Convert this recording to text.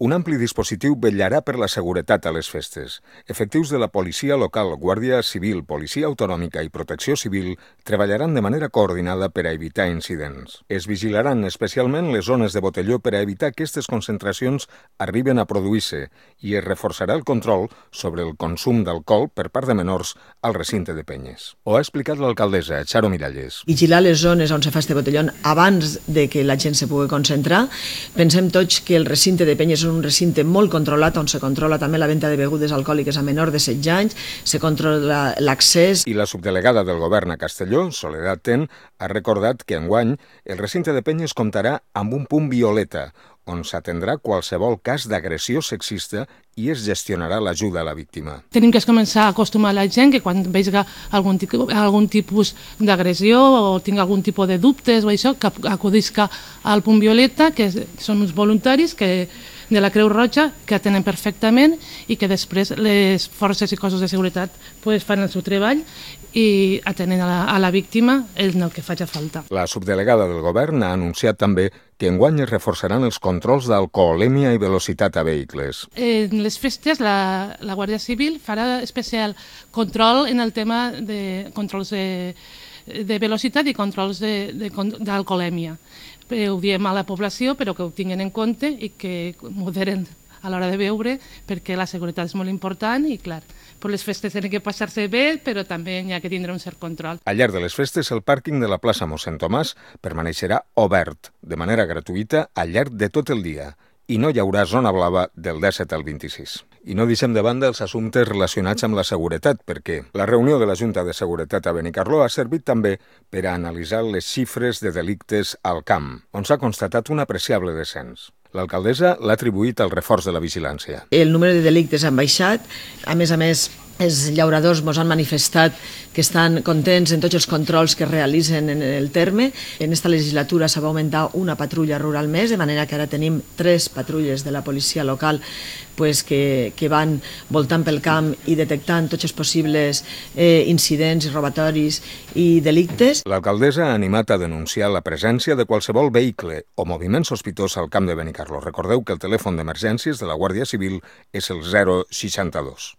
Un ampli dispositiu vetllarà per la seguretat a les festes. Efectius de la policia local, Guàrdia Civil, Policia Autonòmica i Protecció Civil treballaran de manera coordinada per a evitar incidents. Es vigilaran especialment les zones de botelló per a evitar que aquestes concentracions arriben a produir-se i es reforçarà el control sobre el consum d'alcohol per part de menors al recinte de penyes. Ho ha explicat l'alcaldessa, Charo Miralles. Vigilar les zones on se fa este botellón abans de que la gent se pugui concentrar. Pensem tots que el recinte de penyes és un recinte molt controlat, on se controla també la venda de begudes alcohòliques a menor de 16 anys, se controla l'accés. I la subdelegada del govern a Castelló, Soledad Ten, ha recordat que enguany el recinte de penyes comptarà amb un punt violeta, on s'atendrà qualsevol cas d'agressió sexista i es gestionarà l'ajuda a la víctima. Tenim que començar a acostumar la gent que quan vegi algun tipus d'agressió o tingui algun tipus de dubtes o això, que acudisca al punt violeta, que són uns voluntaris de la Creu Roja que atenen perfectament i que després les forces i cossos de seguretat fan el seu treball i atenen a la víctima en el que faci falta. La subdelegada del govern ha anunciat també que enguany es reforçaran els controls d'alcoholèmia i velocitat a vehicles. En les festes la Guàrdia Civil farà especial control en el tema de controls de velocitat i controls d'alcoholèmia. Ho diem a la població, però que ho tinguin en compte i que moderen a l'hora de beure, perquè la seguretat és molt important i, clar, per les festes tenen que passar-se bé, però també hi ha que tindre un cert control. Al llarg de les festes, el pàrquing de la plaça Mossèn Tomàs permaneixerà obert de manera gratuïta al llarg de tot el dia i no hi haurà zona blava del 17 al 26. I no deixem de banda els assumptes relacionats amb la seguretat, perquè la reunió de la Junta de Seguretat a Benicarló ha servit també per a analitzar les xifres de delictes al camp, on s'ha constatat un apreciable descens. L'alcaldessa l'ha atribuït al reforç de la vigilància. El número de delictes han baixat, a més, els llauradors ens han manifestat que estan contents en tots els controls que realitzen en el terme. En esta legislatura s'ha augmentar una patrulla rural més, de manera que ara tenim 3 patrulles de la policia local que van voltant pel camp i detectant tots els possibles incidents, robatoris i delictes. L'alcaldessa ha animat a denunciar la presència de qualsevol vehicle o moviment sospitós al camp de Benicarló. Recordeu que el telèfon d'emergències de la Guàrdia Civil és el 062.